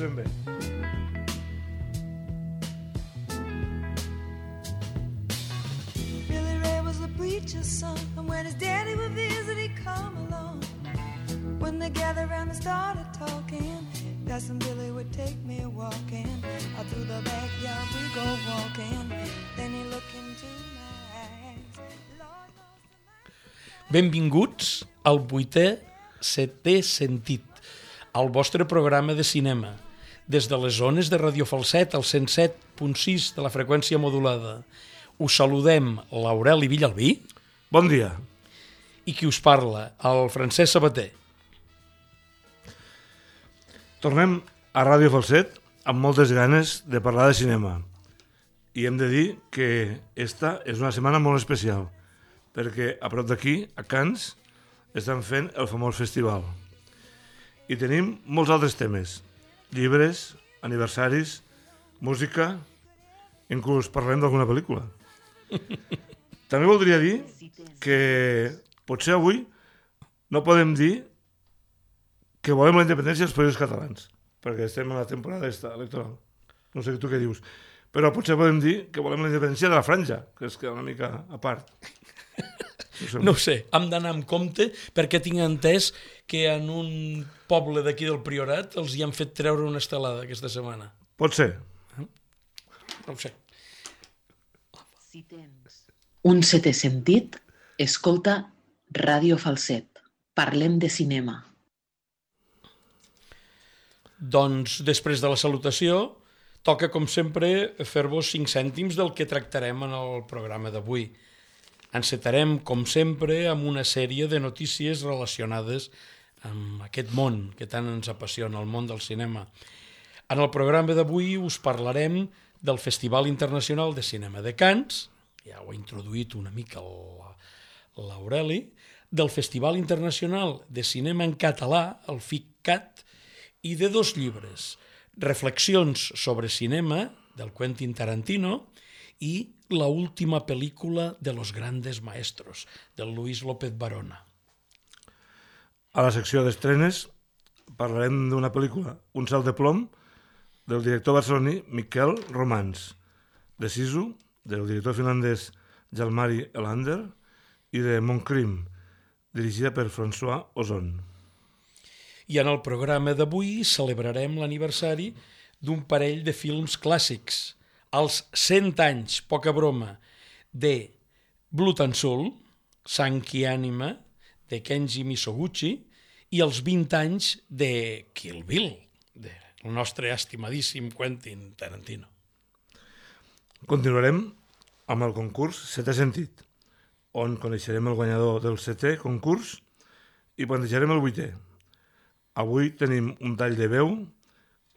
ben bé. Billy Ray was a preacher's son, and when his daddy would visit, he'd come along. When they gathered around and started talking, Cousin Billy would take me walking. Out through the backyard we go walking. Then he looked into my eyes. Lord knows. Benvinguts al 8è Setè Sentit, al vostre programa de cinema, des de les zones de Radio Falset, al 107.6 de la freqüència modulada. Us saludem l'Aureli Villalbí. Bon dia. I qui us parla, el Francesc Sabater. Tornem a Ràdio Falset amb moltes ganes de parlar de cinema. I hem de dir que esta és una setmana molt especial, perquè a prop d'aquí, a Canes, estan fent el famós festival. I tenim molts altres temes. Llibres, aniversaris, música, inclús parlem d'alguna pel·lícula. També voldria dir que potser avui no podem dir que volem la independència dels països catalans, perquè estem en la temporada electoral. No sé tu què dius. Però potser podem dir que volem la independència de la franja, que es queda una mica a part. No ho sé, hem d'anar amb compte perquè tinc entès que en un poble d'aquí del Priorat els hi han fet treure una estelada aquesta setmana. Pot ser. No ho sé. Si tens un setè sentit, escolta Ràdio Falset. Parlem de cinema. Doncs, després de la salutació, toca, com sempre, fer-vos 5 cèntims del que tractarem en el programa d'avui. Encetarem, com sempre, amb una sèrie de notícies relacionades amb aquest món que tant ens apassiona, el món del cinema. En el programa d'avui us parlarem del Festival Internacional de Cinema de Canes, ja ho ha introduït una mica l'Aureli, del Festival Internacional de Cinema en Català, el FICCAT, i de 2 llibres, Reflexions sobre cinema, del Quentin Tarantino, i La última pel·lícula de los grandes maestros, del Luis López Barona. A la secció d'estrenes parlarem d'una pel·lícula, Un salt de plom, del director barceloní Miquel Romans, de Sisu, del director finlandès Jalmari Elander, i de Montcrim, dirigida per François Ozon. I en el programa d'avui celebrarem l'aniversari d'un parell de films clàssics, els 100 anys, poca broma, de Blood and Soul, Sang i ànima, de Kenji Misoguchi, i els 20 anys de Kill Bill, del nostre estimadíssim Quentin Tarantino. Continuarem amb el concurs Setè Sentit, on coneixerem el guanyador del 7è concurs i plantejarem el 8è. Avui tenim un tall de veu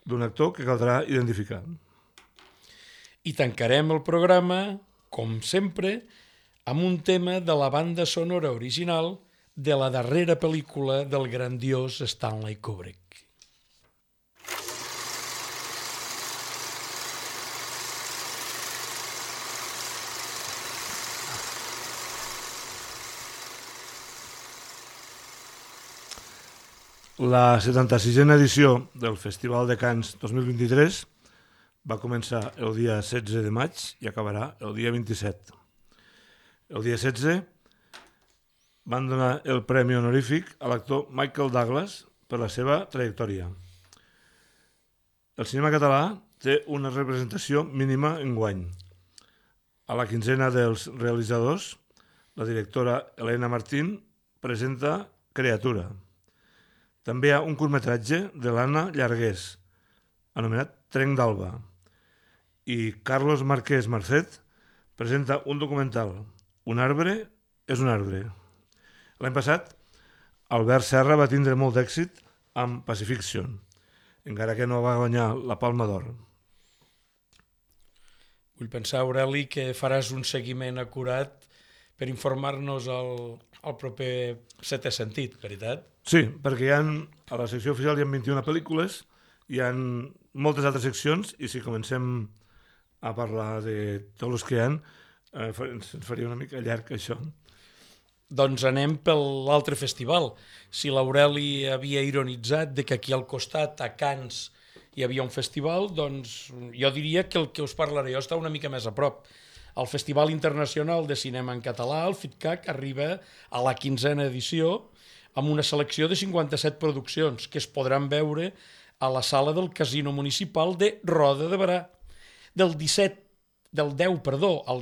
d'un actor que caldrà identificar. I tancarem el programa, com sempre, amb un tema de la banda sonora original de la darrera pel·lícula del grandiós Stanley Kubrick. La 76a edició del Festival de Canes 2023 va començar el dia 16 de maig i acabarà el dia 27. El dia 16 van donar el premi honorífic a l'actor Michael Douglas per la seva trajectòria. El cinema català té una representació mínima enguany. A la quinzena dels realitzadors, la directora Elena Martín presenta Creatura. També hi ha un curtmetratge de l'Anna Llargués, anomenat Trenc d'Alba, i Carlos Marquès Marcet presenta un documental, Un arbre és un arbre. L'any passat, Albert Serra va tindre molt d'èxit amb Pacifiction, encara que no va guanyar la Palma d'Or. Vull pensar, Aureli, que faràs un seguiment acurat per informar-nos al proper Setè Sentit, veritat? Sí, perquè a la secció oficial hi ha 21 pel·lícules, hi ha moltes altres seccions, i si comencem a parlar de tots els que hi ha, ens faria una mica llarg això. Doncs anem per l'altre festival. Si l'Aureli havia ironitzat de que aquí al costat, a Canes, hi havia un festival, doncs jo diria que el que us parlaré jo està una mica més a prop. El Festival Internacional de Cinema en Català, el FITCAC, arriba a la 15a edició amb una selecció de 57 produccions que es podran veure a la sala del Casino Municipal de Roda de Berà. Del 10 al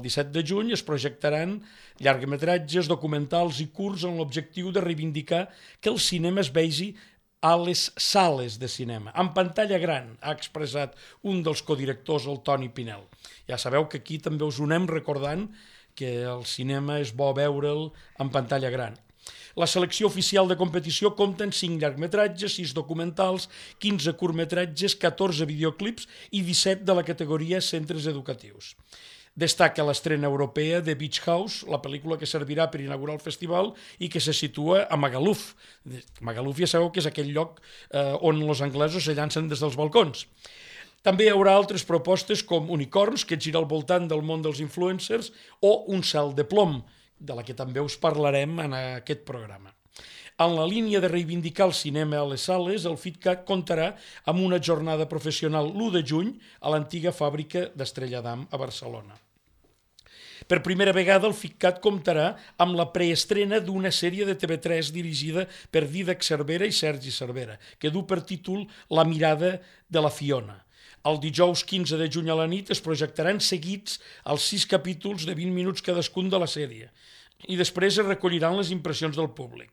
17 de juny es projectaran llargmetratges, documentals i curts amb l'objectiu de reivindicar que el cinema es vegi a les sales de cinema, en pantalla gran, ha expressat un dels codirectors, el Toni Pinel. Ja sabeu que aquí també us ho anem recordant que el cinema és bo veure'l en pantalla gran. La selecció oficial de competició compta amb 5 llargmetratges, 6 documentals, 15 curtmetratges, 14 videoclips i 17 de la categoria centres educatius. Destaca l'estrena europea de Beach House, la pel·lícula que servirà per inaugurar el festival i que se situa a Magaluf. Magaluf ja sabeu que és aquell lloc on els anglesos se llancen des dels balcons. També hi haurà altres propostes com Unicorns, que gira al voltant del món dels influencers, o Un cel de plom, de la que també us parlarem en aquest programa. En la línia de reivindicar el cinema a les sales, el FITCAC comptarà amb una jornada professional l'1 de juny a l'antiga fàbrica d'Estrella d'Am a Barcelona. Per primera vegada, el FITCAT comptarà amb la preestrena d'una sèrie de TV3 dirigida per Dídac Cervera i Sergi Cervera, que du per títol La mirada de la Fiona. El dijous 15 de juny a la nit es projectaran seguits els 6 capítols de 20 minuts cadascun de la sèrie i després es recolliran les impressions del públic.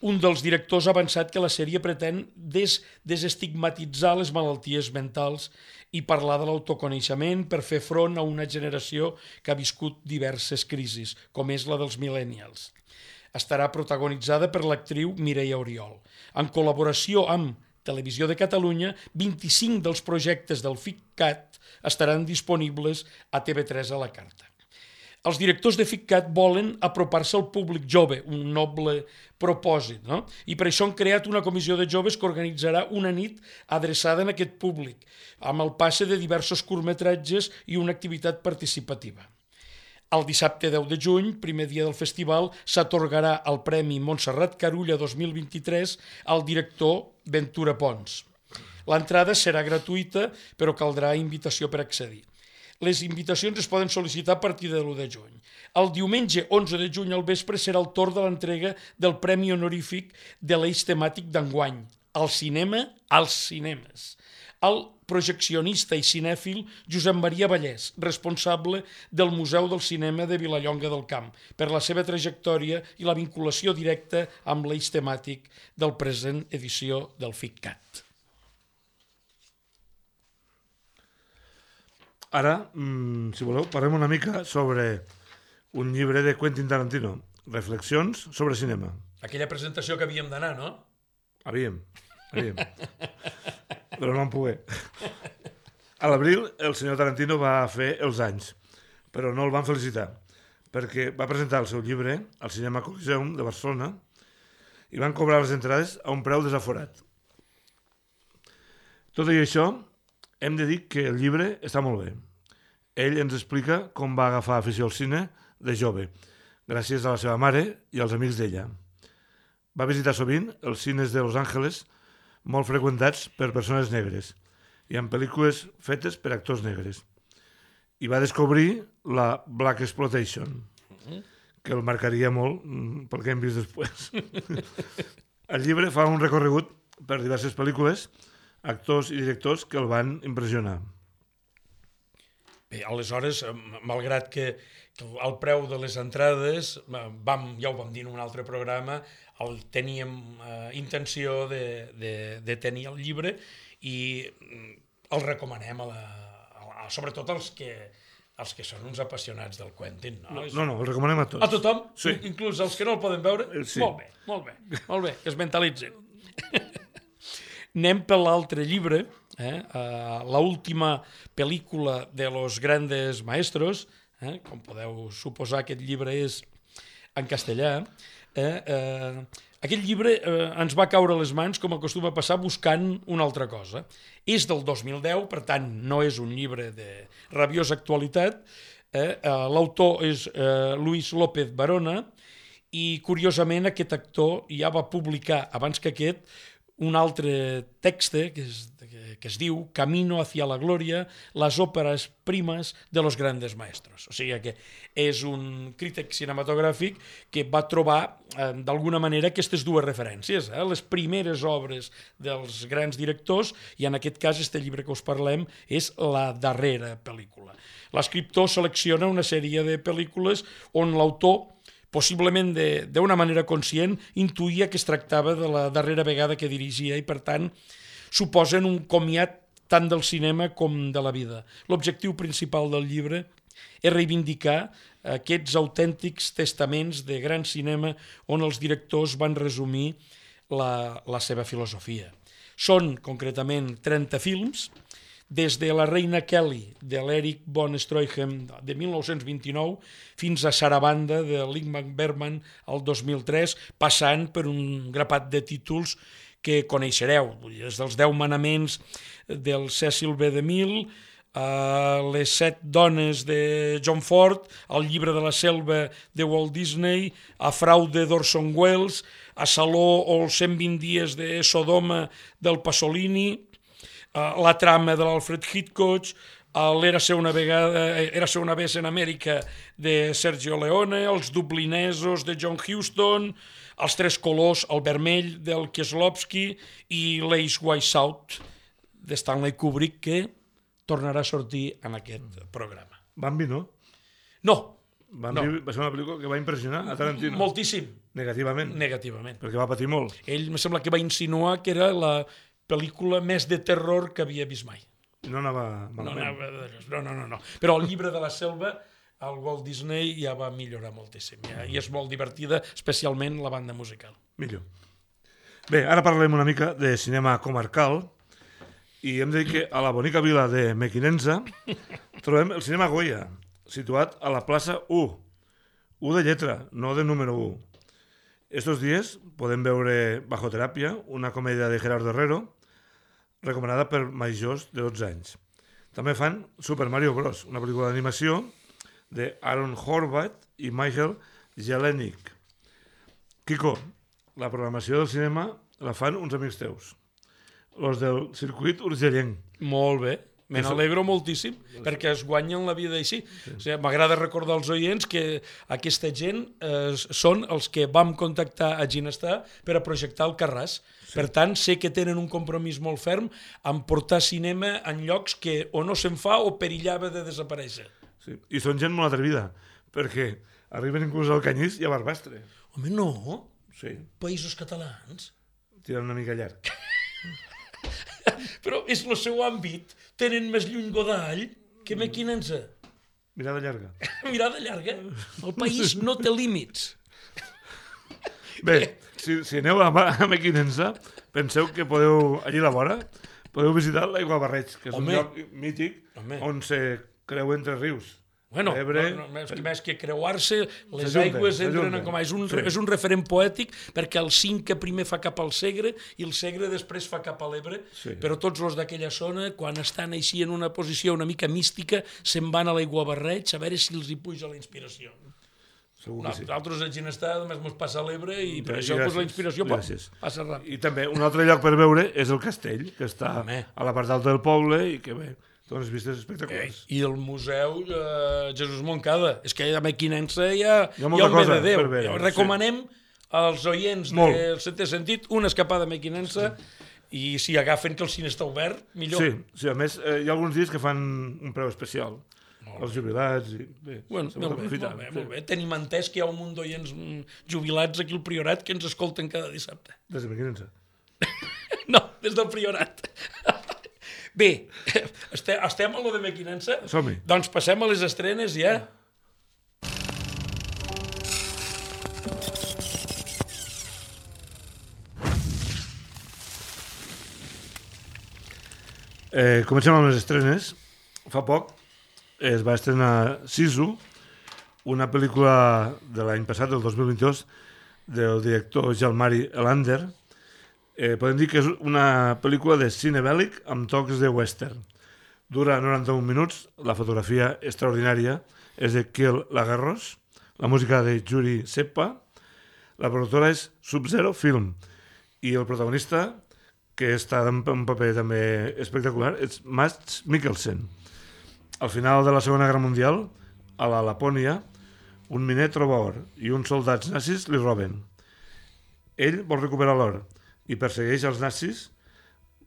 Un dels directors ha avançat que la sèrie pretén desestigmatitzar les malalties mentals i parlar de l'autoconeixement per fer front a una generació que ha viscut diverses crisis, com és la dels millennials. Estarà protagonitzada per l'actriu Mireia Oriol. En col·laboració amb Televisió de Catalunya, 25 dels projectes del FITCAT estaran disponibles a TV3 a la carta. Els directors de FITCAT volen apropar-se al públic jove, un noble propòsit, no? I per això han creat una comissió de joves que organitzarà una nit adreçada a aquest públic, amb el passe de diversos curtmetratges i una activitat participativa. El dissabte 10 de juny, primer dia del festival, s'atorgarà el Premi Montserrat Carulla 2023 al director Ventura Pons. L'entrada serà gratuïta, però caldrà invitació per accedir. Les invitacions es poden sol·licitar a partir de l'1 de juny. El diumenge 11 de juny al vespre serà el torn de l'entrega del Premi Honorífic de l'eix temàtic d'enguany, el cinema als cinemes. El projeccionista i cinèfil Josep Maria Vallès, responsable del Museu del Cinema de Vilallonga del Camp, per la seva trajectòria i la vinculació directa amb l'eix temàtic del present edició del FITCAT. Ara, si voleu, parlem una mica sobre un llibre de Quentin Tarantino, Reflexions sobre cinema. Aquella presentació que havíem d'anar, no? Havíem. Però no vam poder. A l'abril, el senyor Tarantino va fer els anys, però no el van felicitar, perquè va presentar el seu llibre al Cinema Coliseum de Barcelona i van cobrar les entrades a un preu desaforat. Tot i això, hem de dir que el llibre està molt bé. Ell ens explica com va agafar afició al cine de jove, gràcies a la seva mare i als amics d'ella. Va visitar sovint els cines de Los Angeles, molt freqüentats per persones negres, i amb pel·lícules fetes per actors negres. I va descobrir la Black Exploitation, que el marcaria molt pel que hem vist després. El llibre fa un recorregut per diverses pel·lícules, actors i directors que el van impressionar. Bé, aleshores, malgrat que el preu de les entrades, ja ho vam dir en un altre programa, teníem intenció de tenir el llibre i el recomanem sobretot als que són uns apassionats del Quentin. No, el recomanem a tots. A tothom? Sí. Inclús als que no el poden veure? Sí. Molt bé, que es mentalitzin. Anem per l'altre llibre, la última pel·lícula de los grandes maestros, com podeu suposar, aquest llibre és en castellà. Aquest llibre ens va caure a les mans, com acostuma a passar, buscant una altra cosa. És del 2010, per tant, no és un llibre de rabiosa actualitat. L'autor és Luis López Barona i, curiosament, aquest actor ja va publicar, abans que aquest, un altre text que que es diu Camino hacia la gloria, las óperas primas de los grandes maestros. O sigui que és un crític cinematogràfic que va trobar d'alguna manera aquestes dues referències, les primeres obres dels grans directors, i en aquest cas este llibre que us parlem és la darrera pel·lícula. L'escriptor selecciona una sèrie de pel·lícules on l'autor, possiblement d'una manera conscient, intuïa que es tractava de la darrera vegada que dirigia i, per tant, suposen un comiat tant del cinema com de la vida. L'objectiu principal del llibre és reivindicar aquests autèntics testaments de gran cinema on els directors van resumir la seva filosofia. Són, concretament, 30 films, des de La reina Kelly, de l'Eric von Stroheim, de 1929, fins a Sarabanda, de l'Ingmar Bergman, el 2003, passant per un grapat de títols que coneixereu, des dels 10 manaments del Cecil B. DeMille, les 7 dones de John Ford, el llibre de la selva de Walt Disney, a Fraude d'Orson Welles, a Saló o els 120 dies de Sodoma del Pasolini, la trama de l'Alfred Hitchcock, l'Érase una vez en Amèrica de Sergio Leone, els dublinesos de John Huston, els 3 colors, el vermell del Kieslowski i l'Ace White South de Stanley Kubrick, que tornarà a sortir en aquest programa. Bambi, no? No. Bambi va ser una pel·lícula que va impressionar a Tarantino. Moltíssim. Negativament. Negativament. Perquè va patir molt. Ell me sembla que va insinuar que era la pel·lícula més de terror que havia vist mai. No anava malament. No. Però el llibre de la selva, el Walt Disney ja va millorar moltíssim. I és molt divertida, especialment la banda musical. Millor. Bé, ara parlem una mica de cinema comarcal i hem de dir que a la bonica vila de Mequinensa trobem el cinema Goya, situat a la plaça 1. 1 de lletra, no de número 1. Estos días podem veure Bajo teràpia, una comèdia de Gerardo Herrero, recomanada per majors de 12 anys. També fan Super Mario Bros., una pel·lícula d'animació de Aaron Horvath i Michael Jelenic. Quico, la programació del cinema la fan uns amics teus, els del circuit urgellenc. Molt bé. Me n'alegro moltíssim, perquè es guanyen la vida així. Sí. O sigui, m'agrada recordar als oients que aquesta gent són els que vam contactar a Ginestar per a projectar el Carràs. Sí. Per tant, sé que tenen un compromís molt ferm en portar cinema en llocs que o no se'n fa o perillava de desaparèixer. Sí. I són gent molt atrevida, perquè arriben inclús al Canyís i a Barbastre. Home, no. Sí. Països catalans. Tirant una mica llarg. Però és el seu àmbit. Tenen més lluny Godall que Mequinensa. Mirada llarga. Mirada llarga. El país no té límits. Bé, si aneu a Mequinensa, penseu que podeu, allí a la vora, podeu visitar l'Aigua Barreig, que és un lloc mític on se creuen 3 rius. Bueno, més que creuar-se, les aigües entren com a... És un referent poètic, perquè el Cinca primer fa cap al Segre i el Segre després fa cap a l'Ebre, però tots els d'aquella zona, quan estan així en una posició una mica mística, se'n van a l'Aiguabarreig a veure si els hi puja la inspiració. Nosaltres a Ginestar només ens passa l'Ebre i per això la inspiració passa ràpid. I també un altre lloc per veure és el castell, que està a la part alta del poble i que bé, té unes vistes espectaculars. I el museu Jesús Moncada. És que a Mequinensa hi ha un bé de Déu. Recomanem als oients del Setè Sentit una escapada a Mequinensa i si agafen que el cine està obert, millor. Sí, a més, hi ha alguns dies que fan un preu especial. Els jubilats i bé, molt bé. Tenim entès que hi ha un munt d'oients jubilats aquí al Priorat que ens escolten cada dissabte. Des de Mequinensa? No, des del Priorat. Bé, estem a lo de Mequinensa? Som-hi. Doncs passem a les estrenes ja. Comencem amb les estrenes. Fa poc es va estrenar Sisu, una pel·lícula de l'any passat, del 2022, del director Jalmari Elander. Podem dir que és una pel·lícula de cine bèl·lic amb tocs de western. Dura 91 minuts, la fotografia extraordinària és de Kiel Lagerros, la música de Yuri Seppa, la productora és Sub-Zero Film i el protagonista, que està en un paper també espectacular, és Mads Mikkelsen. Al final de la Segona Guerra Mundial, a la Lapònia, un miner troba or i uns soldats nazis li roben. Ell vol recuperar l'or i persegueix els nazis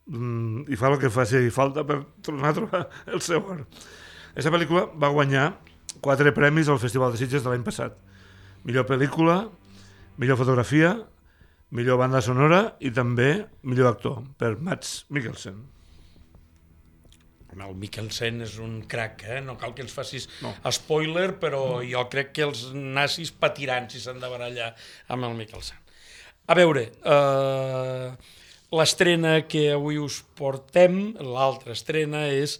i fa el que faci falta per tornar a trobar el seu or. Aquesta pel·lícula va guanyar 4 premis al Festival de Sitges de l'any passat. Millor pel·lícula, millor fotografia, millor banda sonora i també millor actor, per Mads Mikkelsen. El Mikkelsen és un crac, no cal que ens facis spoiler, però jo crec que els nazis patiran si s'han de barallar amb el Mikkelsen. A veure, l'estrena que avui us portem, l'altra estrena, és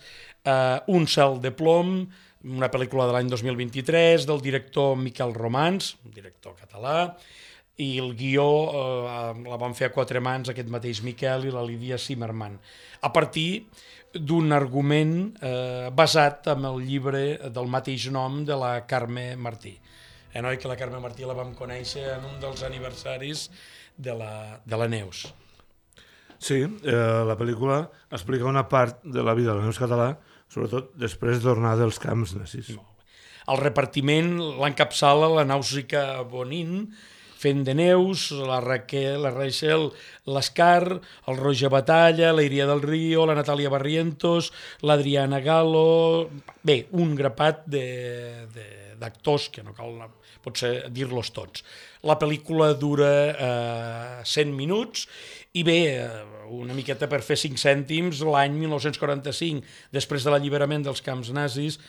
Un cel de plom, una pel·lícula de l'any 2023 del director Miquel Romans, un director català, i el guió la van fer a 4 mans aquest mateix Miquel i la Lídia Zimmerman, a partir d'un argument basat en el llibre del mateix nom de la Carme Martí. Noi, que la Carme Martí la vam conèixer en un dels aniversaris de la Neus. Sí, la pel·lícula explica una part de la vida de la Neus Català, sobretot després de tornar dels camps nazis. El repartiment l'encapçala la Nàusica Bonin, fent de Neus, la Raquel, la Rachel Lascar, el Roger Batalla, la Iria del Río, la Natàlia Barrientos, l'Adriana Galo... Bé, un grapat d'actors que no cal potser dir-los tots. La pel·lícula dura 100 minuts i bé, una miqueta per fer 5 cèntims, l'any 1945, després de l'alliberament dels camps nazis,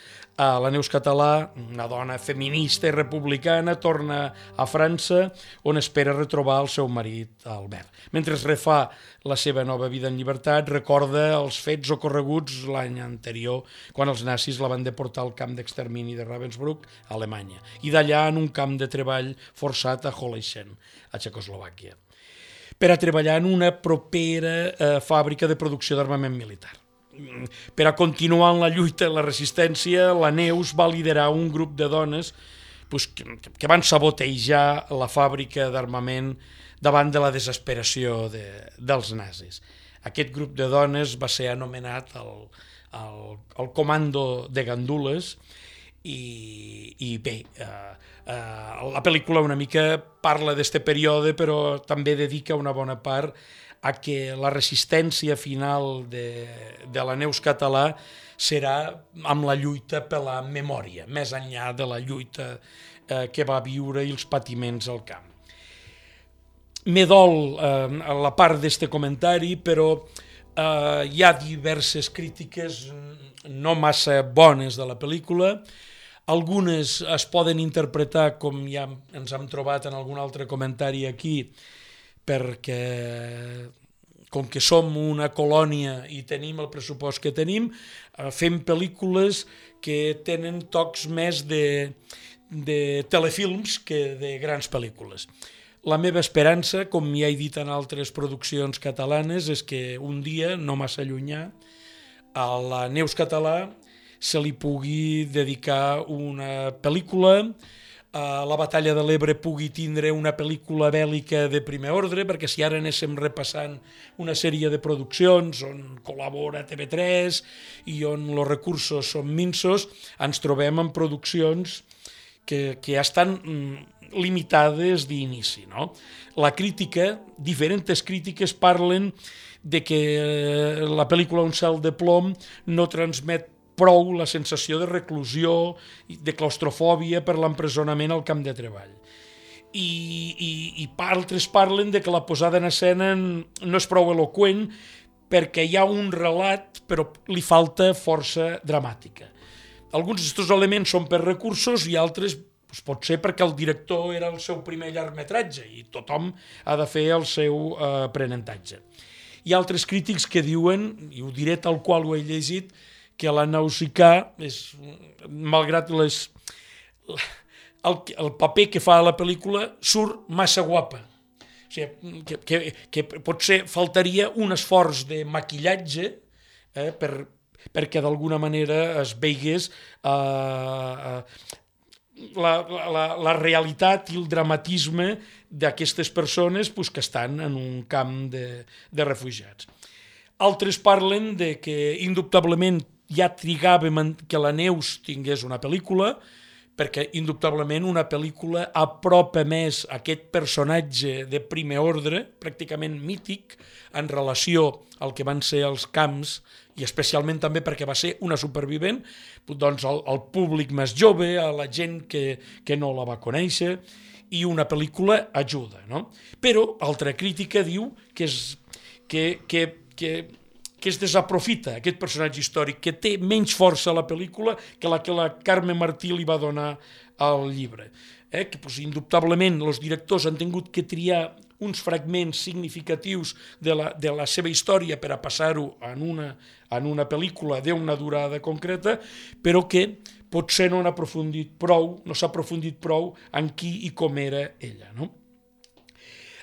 la Neus Català, una dona feminista i republicana, torna a França, on espera retrobar el seu marit Albert. Mentre es refà la seva nova vida en llibertat, recorda els fets ocorreguts l'any anterior, quan els nazis la van deportar al camp d'extermini de Ravensbrück, a Alemanya, i d'allà en un camp de treball forçat a Holleisen, a Txecoslovàquia, per a treballar en una propera fàbrica de producció d'armament militar. Per a continuar en la lluita i la resistència, la Neus va liderar un grup de dones que van sabotejar la fàbrica d'armament davant de la desesperació dels nazis. Aquest grup de dones va ser anomenat el Comando de Gandules i bé, la pel·lícula una mica parla d'este període, però també dedica una bona part a que la resistència final de la Neus Català serà amb la lluita per la memòria, més enllà de la lluita que va viure i els patiments al camp. Me dol la part d'este comentari, però hi ha diverses crítiques no massa bones de la pel·lícula. Algunes es poden interpretar, com ja ens hem trobat en algun altre comentari aquí, perquè com que som una colònia i tenim el pressupost que tenim, fem pel·lícules que tenen tocs més de telefilms que de grans pel·lícules. La meva esperança, com ja he dit en altres produccions catalanes, és que un dia, no massa llunyà, a la Neus Català se li pugui dedicar una pel·lícula, la Batalla de l'Ebre pugui tindre una pel·lícula bèl·lica de primer ordre, perquè si ara anéssim repassant una sèrie de produccions on col·labora TV3 i on els recursos són minsos, ens trobem en produccions que ja estan limitades d'inici, no? La crítica, diferents crítiques parlen de que la pel·lícula Un cel de plom no transmet prou la sensació de reclusió, de claustrofòbia per l'empresonament al camp de treball. I altres parlen de que la posada en escena no és prou eloqüent perquè hi ha un relat però li falta força dramàtica. Alguns d'aquests elements són per recursos i altres pot ser perquè el director era el seu primer llargmetratge i tothom ha de fer el seu aprenentatge. Hi ha altres crítics que diuen, i ho diré tal qual ho he llegit, que la Nausicaà, malgrat el paper que fa a la pel·lícula, surt massa guapa. O sigui, que potser faltaria un esforç de maquillatge perquè d'alguna manera es veigués la realitat i el dramatisme d'aquestes persones pues, que estan en un camp de refugiats. Altres parlen de que indubtablement ja trigàvem que la Neus tingués una pel·lícula, perquè indubtablement una pel·lícula apropa més aquest personatge de primer ordre, pràcticament mític, en relació al que van ser els camps, i especialment també perquè va ser una supervivent, doncs al públic més jove, a la gent que no la va conèixer, i una pel·lícula ajuda, no? Però altra crítica diu que es desaprofita aquest personatge històric, que té menys força a la pel·lícula que la Carme Martí li va donar al llibre. Que indubtablement els directors han tingut que triar uns fragments significatius de la seva història per a passar-ho en una pel·lícula d'una durada concreta, però que potser no s'ha aprofundit prou en qui i com era ella, no?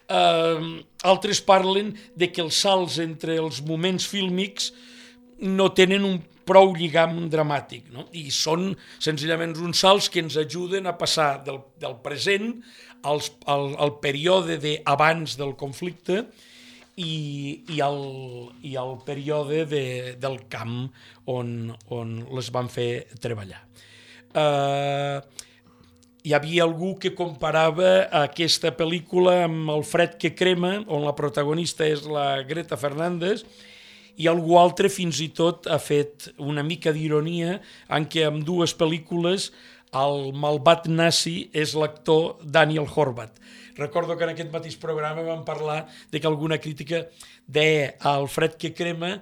Altres parlen de que els salts entre els moments fílmics no tenen un prou lligam dramàtic, no? I són senzillament uns salts que ens ajuden a passar del present al període d'abans del conflicte i al període del camp on les van fer treballar. Hi havia algú que comparava aquesta pel·lícula amb El fred que crema, on la protagonista és la Greta Fernández, i algú altre fins i tot ha fet una mica d'ironia en què en dues pel·lícules el malvat nazi és l'actor Daniel Horvath. Recordo que en aquest mateix programa vam parlar de que alguna crítica deia El fred que crema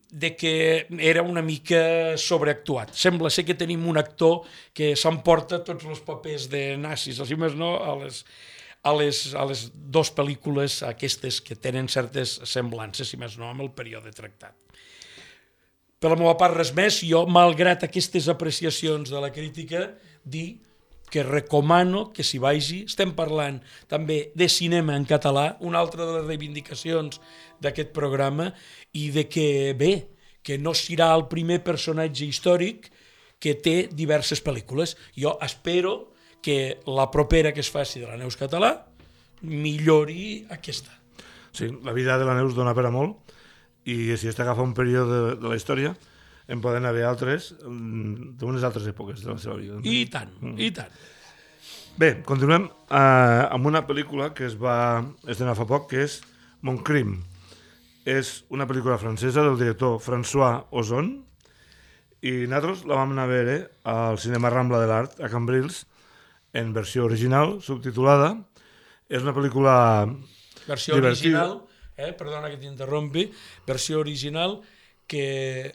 de que era una mica sobreactuat. Sembla ser que tenim un actor que s'emporta tots els papers de nazis, així més no, a les dues pel·lícules aquestes que tenen certes semblances, si més no, amb el període tractat. Per la meva part, res més. Jo, malgrat aquestes apreciacions de la crítica, dir que recomano que s'hi vagi. Estem parlant també de cinema en català, una altra de les reivindicacions d'aquest programa, i de que, bé, que no serà el primer personatge històric que té diverses pel·lícules. Jo espero que la propera que es faci de la Neus català millori aquesta. Sí, la vida de la Neus dona per a molt, i si està agafant un període de la història, en poden haver altres d'unes altres èpoques de la seva vida. I tant, i tant. Bé, continuem amb una pel·lícula que es va estrenar fa poc, que és Mon Crime. És una pel·lícula francesa del director François Ozon, i nosaltres la vam anar a veure al Cinema Rambla de l'Art, a Cambrils, en versió original, subtitulada. És una pel·lícula versió divertida. Original, perdona que t'interrompi, versió original que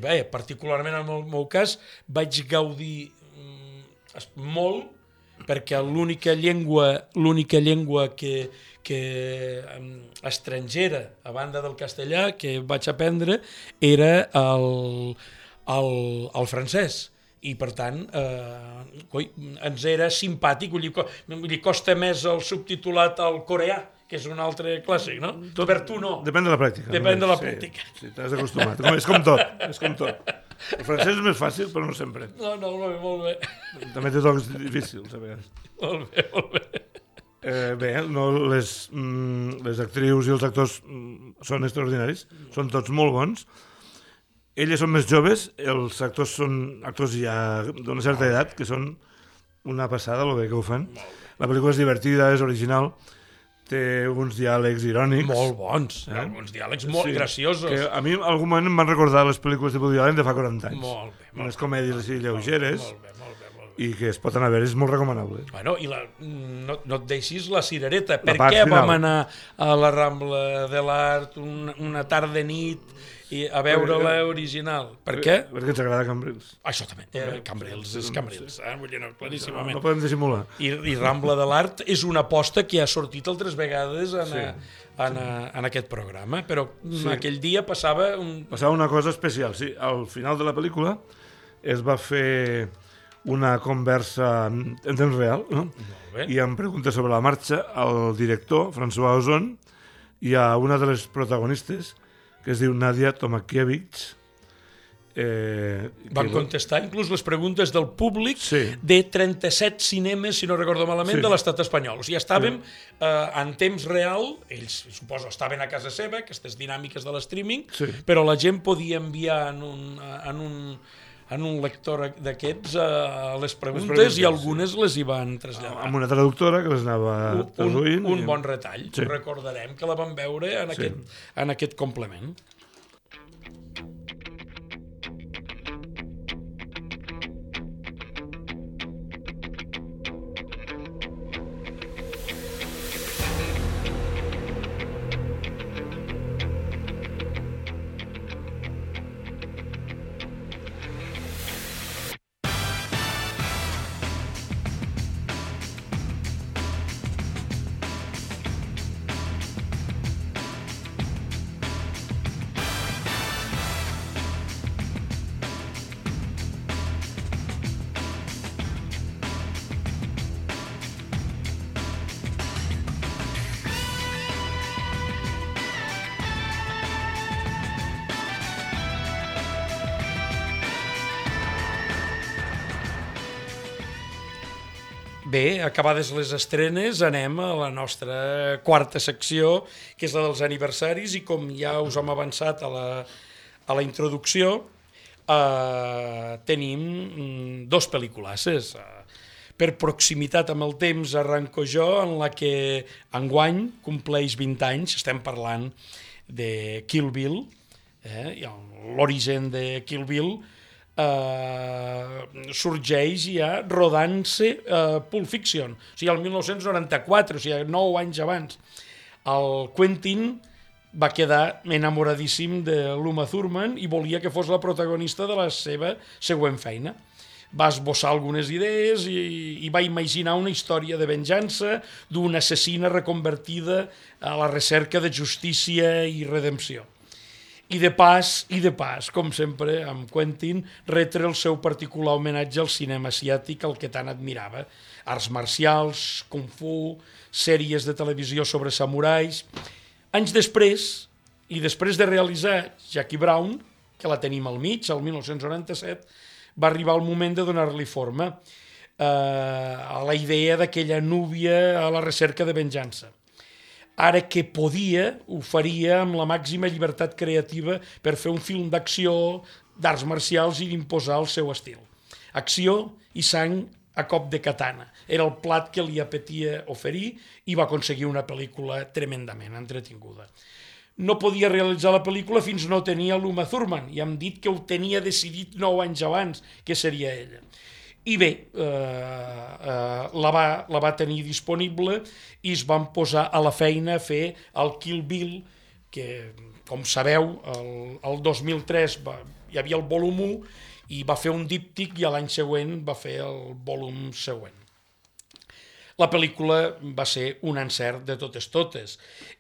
bé, particularment en el meu cas, vaig gaudir molt, perquè l'única llengua que estrangera, a banda del castellà, que vaig aprendre, era el francès. I, per tant, ens era simpàtic. Li costa més el subtitulat al coreà, que és un altre clàssic, no? Per tu no. Depèn de la pràctica. Depèn de la pràctica. Sí, t'has acostumat. És com tot. El francès és més fàcil, però no sempre. No, molt bé. També té tocs difícils, a vegades. Molt bé. Bé, les actrius i els actors són extraordinaris, són tots molt bons. Elles són més joves, els actors són actors ja d'una certa edat, que són una passada, el bé que ho fan. La pel·lícula és divertida, és original, té uns diàlegs irònics. Molt bons, uns diàlegs molt graciosos. Que a mi en algun moment em van recordar les pel·lícules de Woody Allen de fa 40 anys. Molt bé. Unes comèdies així lleugeres. Molt bé. I que es pot anar a veure, és molt recomanable. Bueno, i no et deixis la cirereta. Per què vam anar a la Rambla de l'Art una tarda de nit a veure-la original? Per què? Perquè ens agrada Cambrils. Això també. Cambrils és Cambrils, vull dir, claríssimament. No podem dissimular. I Rambla de l'Art és una aposta que ha sortit altres vegades en aquest programa, però aquell dia passava una cosa especial. Sí, al final de la pel·lícula es va fer una conversa en temps real, no? I em pregunta sobre la marxa al director, François Ozon, i a una de les protagonistes, que es diu Nadia Tomakiewicz, Van contestar inclús les preguntes del públic de 37 cinemes, si no recordo malament, de l'estat espanyol. O sigui, estàvem en temps real, ells, suposo, estaven a casa seva, aquestes dinàmiques de l'streaming, però la gent podia enviar en un lector d'aquests les preguntes i algunes les hi van traslladar. Amb una traductora que les anava traduint. Un bon retall. Recordarem que la vam veure en aquest complement. Bé, acabades les estrenes, anem a la nostra quarta secció, que és la dels aniversaris, i com ja us hem avançat a la introducció, tenim dos pel·lículasses. Per proximitat amb el temps arranco jo, en la que enguany compleix 20 anys, estem parlant de Kill Bill, l'origen de Kill Bill, sorgeix ja rodant-se Pulp Fiction, o sigui, el 1994, o sigui, 9 anys abans. El Quentin va quedar enamoradíssim de l'Uma Thurman i volia que fos la protagonista de la seva següent feina. Va esbossar algunes idees i va imaginar una història de venjança d'una assassina reconvertida a la recerca de justícia i redempció. I de pas, com sempre, amb Quentin, retre el seu particular homenatge al cinema asiàtic, el que tant admirava. Arts marcials, kung fu, sèries de televisió sobre samurais. Anys després, i després de realitzar Jackie Brown, que la tenim al mig, el 1997, va arribar el moment de donar-li forma a la idea d'aquella núvia a la recerca de venjança. Ara que podia, ho faria amb la màxima llibertat creativa per fer un film d'acció, d'arts marcials i d'imposar el seu estil. Acció i sang a cop de katana. Era el plat que li apetia oferir i va aconseguir una pel·lícula tremendament entretinguda. No podia realitzar la pel·lícula fins no tenia l'Uma Thurman i hem dit que ho tenia decidit 9 anys abans, que seria ella. I bé, la va tenir disponible i es van posar a la feina a fer el Kill Bill, que, com sabeu, el 2003 hi havia el volum 1 i va fer un díptic i l'any següent va fer el volum següent. La pel·lícula va ser un encert de totes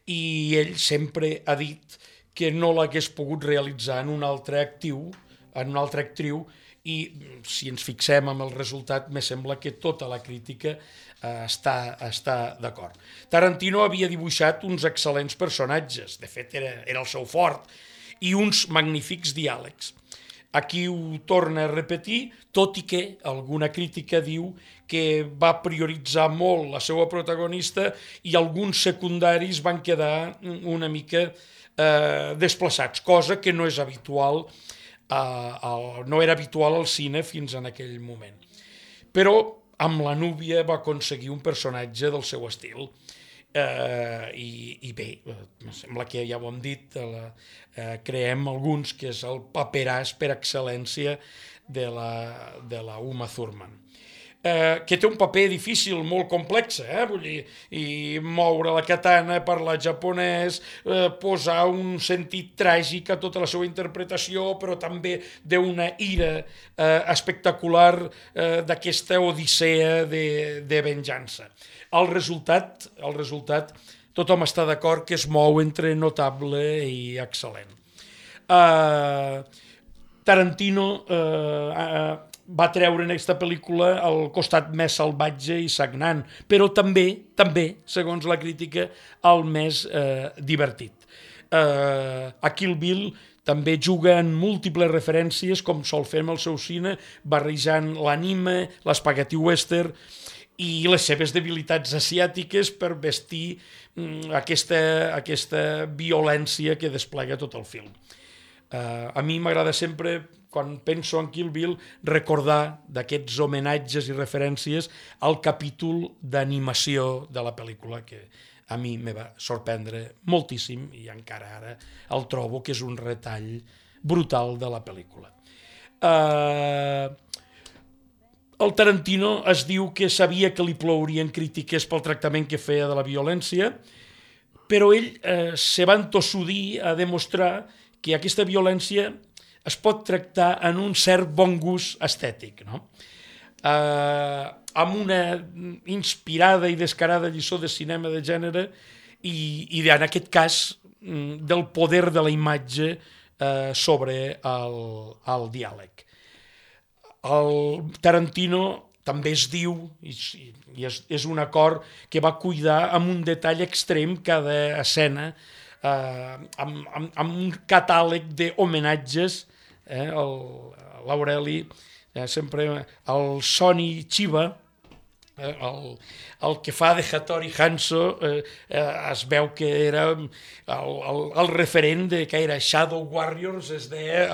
i ell sempre ha dit que no l'hagués pogut realitzar en una altra actriu, i si ens fixem en el resultat, me sembla que tota la crítica està d'acord. Tarantino havia dibuixat uns excel·lents personatges, de fet era el seu fort, i uns magnífics diàlegs. Aquí ho torna a repetir, tot i que alguna crítica diu que va prioritzar molt la seva protagonista i alguns secundaris van quedar una mica desplaçats, cosa que no és habitual, no era habitual al cine fins en aquell moment. Però amb la núvia va aconseguir un personatge del seu estil. I bé, sembla que ja ho hem dit, creem alguns que és el paperàs per excel·lència de la Uma Thurman, que té un paper difícil, molt complex, vull dir, i moure la katana, parlar japonès, posar un sentit tràgic a tota la seva interpretació, però també d'una ira espectacular d'aquesta odissea de venjança. El resultat, tothom està d'acord que es mou entre notable i excel·lent. Tarantino va treure en aquesta pel·lícula el costat més salvatge i sagnant, però també, segons la crítica, el més divertit. A Kill Bill també juga en múltiples referències, com sol fer amb el seu cine, barrejant l'anime, l'espaghetti western i les seves debilitats asiàtiques per vestir aquesta violència que desplega tot el film. A mi m'agrada sempre, quan penso en Kill Bill, recordar d'aquests homenatges i referències al capítol d'animació de la pel·lícula, que a mi me va sorprendre moltíssim i encara ara el trobo que és un retall brutal de la pel·lícula. El Tarantino es diu que sabia que li plourien crítiques pel tractament que feia de la violència, però ell se va entossudir a demostrar que aquesta violència es pot tractar en un cert bon gust estètic, no? Amb una inspirada i descarada lliçó de cinema de gènere i en aquest cas del poder de la imatge sobre el diàleg. El Tarantino també es diu, i és un acord que va cuidar amb un detall extrem cada escena, amb un catàleg d'homenatges, l'Aureli, sempre el Sonny Chiba, el que fa de Hattori Hanzo, es veu que era el referent que era Shadow Warriors, es deia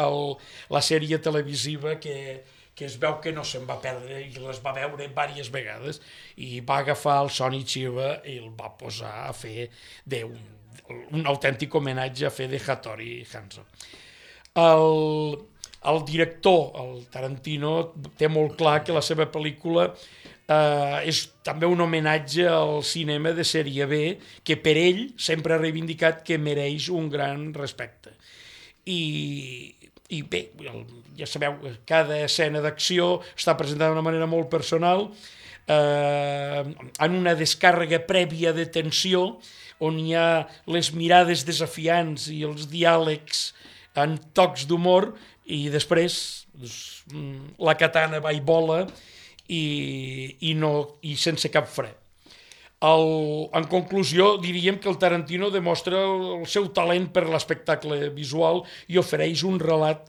la sèrie televisiva que es veu que no se'n va perdre i les va veure diverses vegades, i va agafar el Sonny Chiba i el va posar a fer un autèntic homenatge a fer de Hattori Hanzo. El director, el Tarantino, té molt clar que la seva pel·lícula és també un homenatge al cinema de sèrie B, que per ell sempre ha reivindicat que mereix un gran respecte. I bé, ja sabeu, cada escena d'acció està presentada d'una manera molt personal, en una descàrrega prèvia de tensió, on hi ha les mirades desafiants i els diàlegs en tocs d'humor, i després la katana va i vola i sense cap fre. En conclusió, diríem que el Tarantino demostra el seu talent per l'espectacle visual i ofereix un relat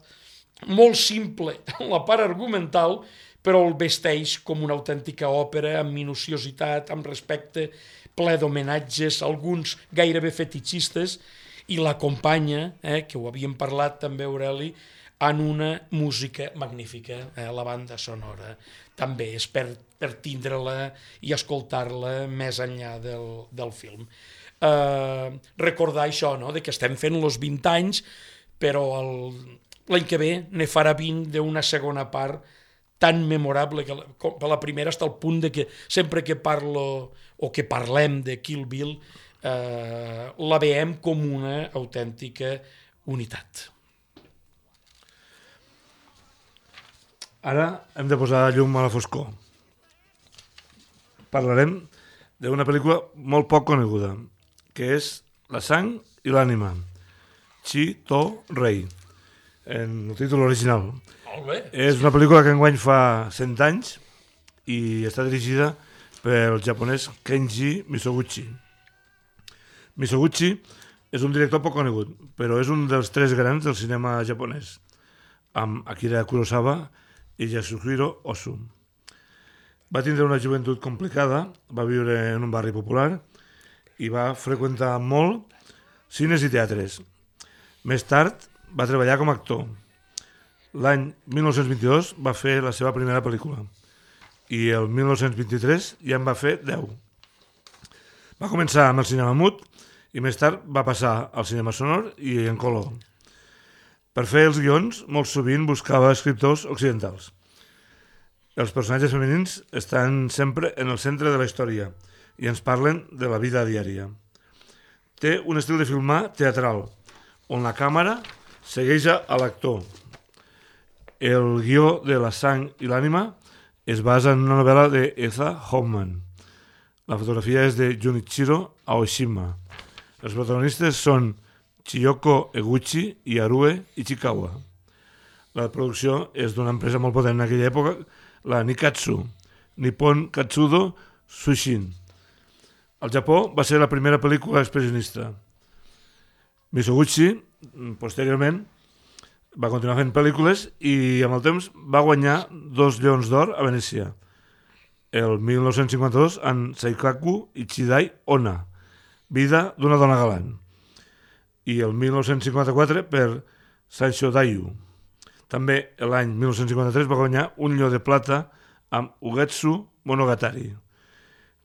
molt simple en la part argumental, però el vesteix com una autèntica òpera amb minuciositat, amb respecte, ple d'homenatges, alguns gairebé fetichistes, i l'acompanya, que ho havíem parlat també, Aureli, en una música magnífica. La banda sonora també és per tindre-la i escoltar-la més enllà del film. Recordar això, no?, de que estem fent els 20 anys, però l'any que ve ne farà 20 d'una segona part tan memorable que per la primera, està al punt de que sempre que parlo o que parlem de Kill Bill la veiem com una autèntica unitat. Ara hem de posar llum a la foscor. Parlarem d'una pel·lícula molt poc coneguda, que és La sang i l'ànima, Chi To Rei, en el títol original. Molt bé. És una pel·lícula que enguany fa 100 anys i està dirigida pel japonès Kenji Mizoguchi. Mizoguchi és un director poc conegut, però és un dels 3 grans del cinema japonès, amb Akira Kurosawa i Yasuhiro Ozu. Va tindre una joventut complicada, va viure en un barri popular i va freqüentar molt cines i teatres. Més tard va treballar com a actor. L'any 1922 va fer la seva primera pel·lícula i el 1923 ja en va fer 10. Va començar amb el cinema mut i més tard va passar al cinema sonor i en color. Per fer els guions, molt sovint buscava escriptors occidentals. Els personatges femenins estan sempre en el centre de la història i ens parlen de la vida diària. Té un estil de filmar teatral, on la càmera segueix a l'actor. El guió de La sang i l'ànima es basa en una novel·la d'Eza Hoffman. La fotografia és de Junichiro Aoshima. Els protagonistes són Chiyoko Eguchi i Harue Ichikawa. La producció és d'una empresa molt potent en aquella època, la Nikatsu, Nippon Katsudo Sushin. Al Japó va ser la primera pel·lícula expressionista. Mizoguchi, posteriorment, Va continuar fent pel·lícules i amb el temps va guanyar 2 Lleons d'Or a Venècia. El 1952 en Seikaku Ichidai Onna, Vida d'una dona galant. I el 1954 per Saisho Dayu. També l'any 1953 va guanyar un Lleó de Plata amb Ugetsu Monogatari,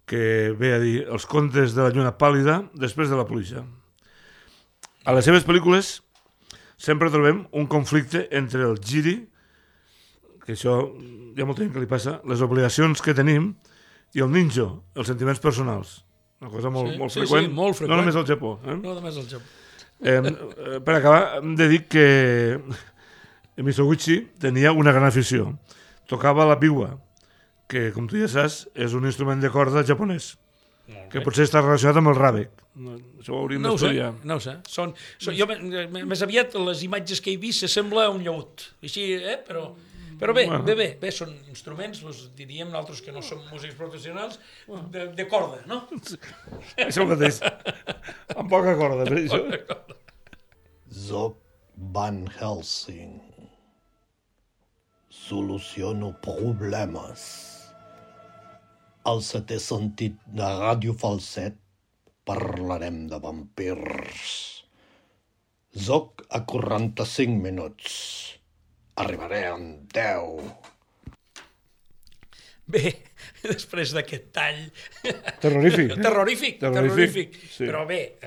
que ve a dir els contes de la lluna pàl·lida després de la pluja. A les seves pel·lícules sempre trobem un conflicte entre el Jiri, que això hi ha molta gent que li passa, les obligacions que tenim, i el ninjo, els sentiments personals. Una cosa molt freqüent, molt freqüent. No només al Japó. No només al Japó. Per acabar, hem de dir que Misoguchi tenia una gran afició. Tocava la biwa, que, com tu ja saps, és un instrument de corda japonès, que potser està relacionat amb el ràbec. Això ho hauríem d'estudiar. No ho sé. Jo, més aviat, les imatges que he vist s'assembla a un llaüt. Així, però bé, són instruments, diríem nosaltres que no som músics professionals, de corda, no? Això mateix. Amb poca corda, per això. Soc Van Helsing. Soluciono problemes. Al setè sentit de Ràdio Falset parlarem de vampirs. Soc a 45 minuts. Arribaré en 10. Bé, després d'aquest tall... Terrorífic. Terrorífic. Sí. Però bé,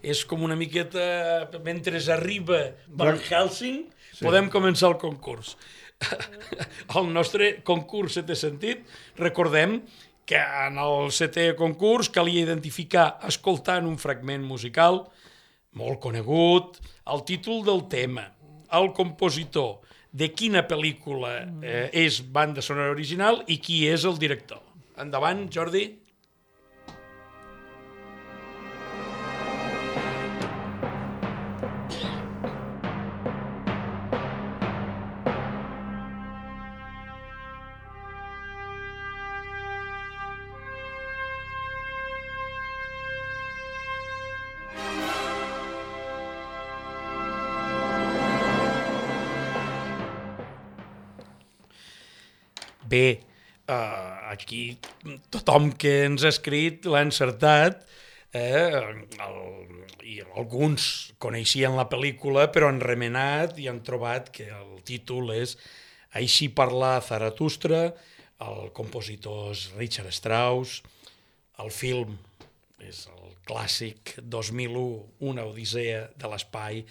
és com una miqueta... Mentre arriba Van Helsing, podem començar el concurs. El nostre concurs Setè Sentit, recordem que en el setè concurs calia identificar, escoltant un fragment musical molt conegut, el títol del tema, el compositor, de quina pel·lícula és banda sonora original i qui és el director. Endavant, Jordi. Bé, aquí tothom que ens ha escrit l'ha encertat, i alguns coneixien la pel·lícula però han remenat i han trobat que el títol és Així parla Zaratustra, el compositor és Richard Strauss, el film és el clàssic 2001, Una odissea de l'espai,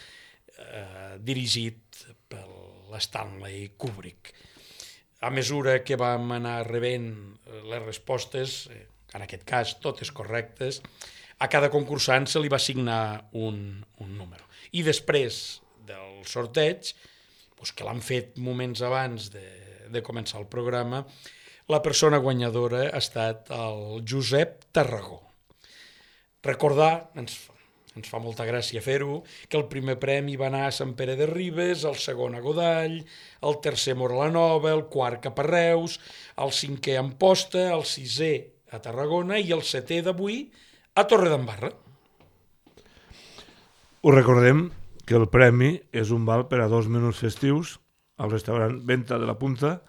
dirigit per l'Stanley Kubrick. A mesura que vam anar rebent les respostes, en aquest cas totes correctes, a cada concursant se li va assignar un número. I després del sorteig, que l'han fet moments abans de començar el programa, la persona guanyadora ha estat el Josep Tarragó. Recordar, ens fa molta gràcia fer-ho, que el primer premi va anar a Sant Pere de Ribes, el segon a Godall, el tercer a Móra-la-Nova, el quart cap a Reus, el cinquè a Amposta, el sisè a Tarragona i el setè d'avui a Torredembarra. Us recordem que el premi és un val per a 2 menús festius al restaurant Venta de la Punta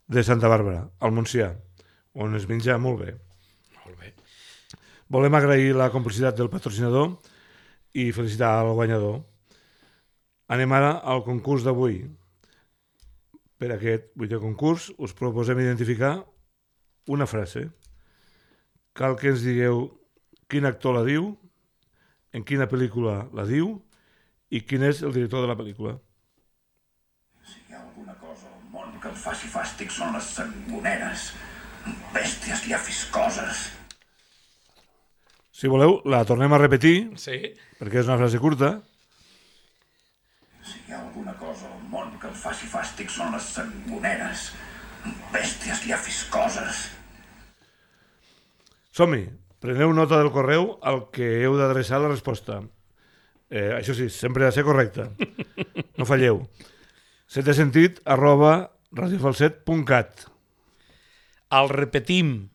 de Santa Bàrbara, al Montsià, on es menja molt bé. Molt bé. Volem agrair la complicitat del patrocinador i felicitar al guanyador. Anem ara al concurs d'avui. Per aquest 8è concurs us proposem identificar una frase. Cal que ens digueu quin actor la diu, en quina pel·lícula la diu i quin és el director de la pel·lícula. Si hi ha alguna cosa al món que em faci fàstic són les sangoneres, bèsties llefiscoses. Si voleu, la tornem a repetir, Sí. perquè és una frase curta. Si hi ha alguna cosa al món que em faci fàstic són les sangoneres, bèsties llefiscoses. Som-hi, preneu nota del correu al que heu d'adreçar la resposta. Això sí, sempre ha de ser correcte. No falleu. setesentit@radiofalset.cat. El repetim,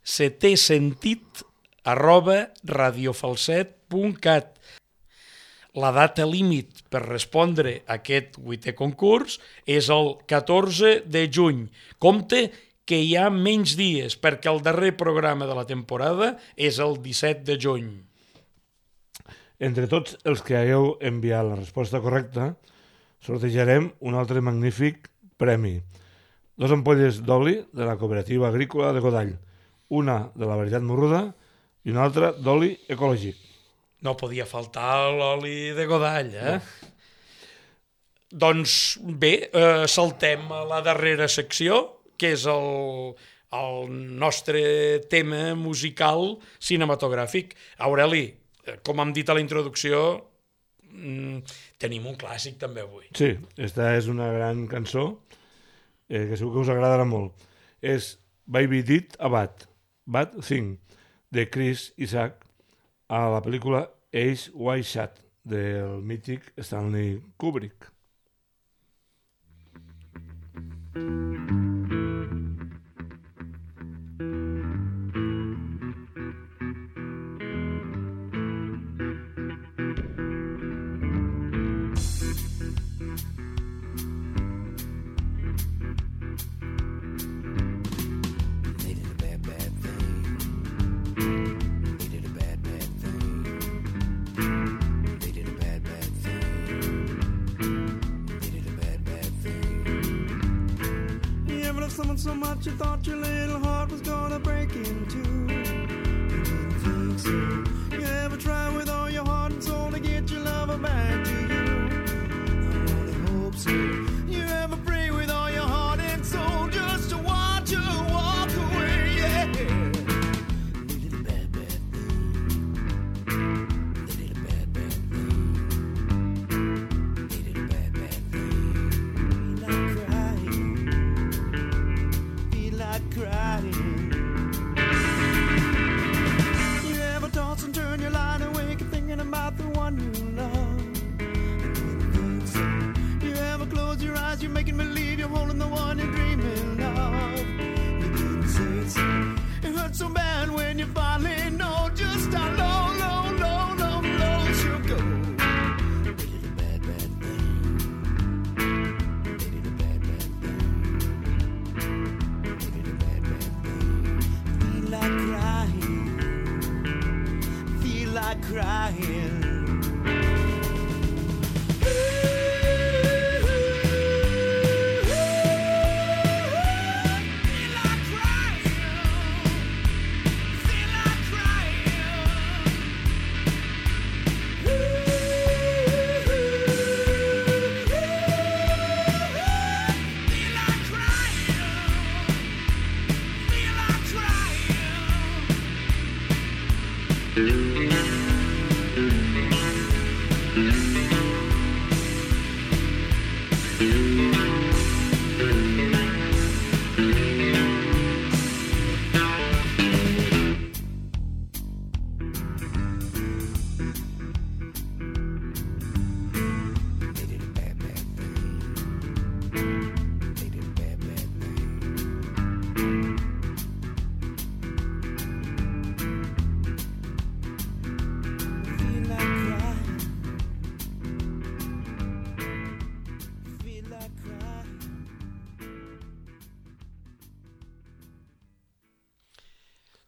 setesentit@radiofalset.cat. la data límit per respondre a aquest 8è concurs és el 14 de juny. Compte que hi ha menys dies, perquè el darrer programa de la temporada és el 17 de juny. Entre tots els que hagueu enviat la resposta correcta, sortejarem un altre magnífic premi. 2 ampolles d'oli de la Cooperativa Agrícola de Godall, una de la varietat morruda i una altra d'oli ecològic. No podia faltar l'oli de Godall, eh? No. Doncs bé, saltem a la darrera secció, que és el nostre tema musical cinematogràfic. Aureli, com hem dit a la introducció, tenim un clàssic també avui. Sí, esta és una gran cançó que segur que us agradarà molt. És Baby Did a Bad Thing, de Chris Isaac, a la pel·lícula Eyes Wide Shut, del mític Stanley Kubrick. Someone so much you thought your little heart was gonna break in two. You didn't think so. You ever try with all your heart and soul to get your lover back to you? I only hope so. You ever pray with all your heart and soul just to watch her walk away? Yeah. Little bad, bad thing. Little bad, bad thing. Little bad, bad thing. Like crying. Crying. You ever toss and turn your line awake and thinking about the one you love? I didn't think so. You ever close your eyes, you're making believe you're holding the one you're dreaming of? You didn't say so. It hurts so bad when you finally know just how low, low, low, low, low she'll go. Little bad, bad thing. Little bad, bad thing. Feel like crying.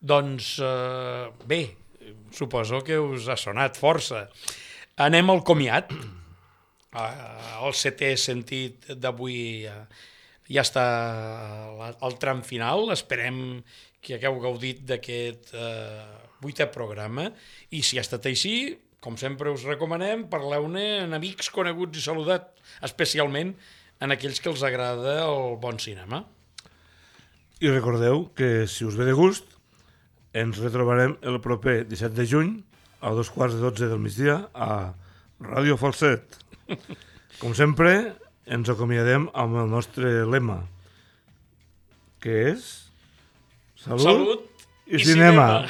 Doncs bé, suposo que us ha sonat força. Anem al comiat. El 7è sentit d'avui ja està al tram final. Esperem que hagueu gaudit d'aquest 8è programa. I si ha estat així, com sempre us recomanem, parleu-ne amb amics, coneguts i saludat, especialment en aquells que els agrada el bon cinema. I recordeu que, si us ve de gust, ens retrobarem el proper 17 de juny a 2:15 del migdia a Ràdio Falset. Com sempre, ens acomiadem amb el nostre lema, que és Salut i cinema.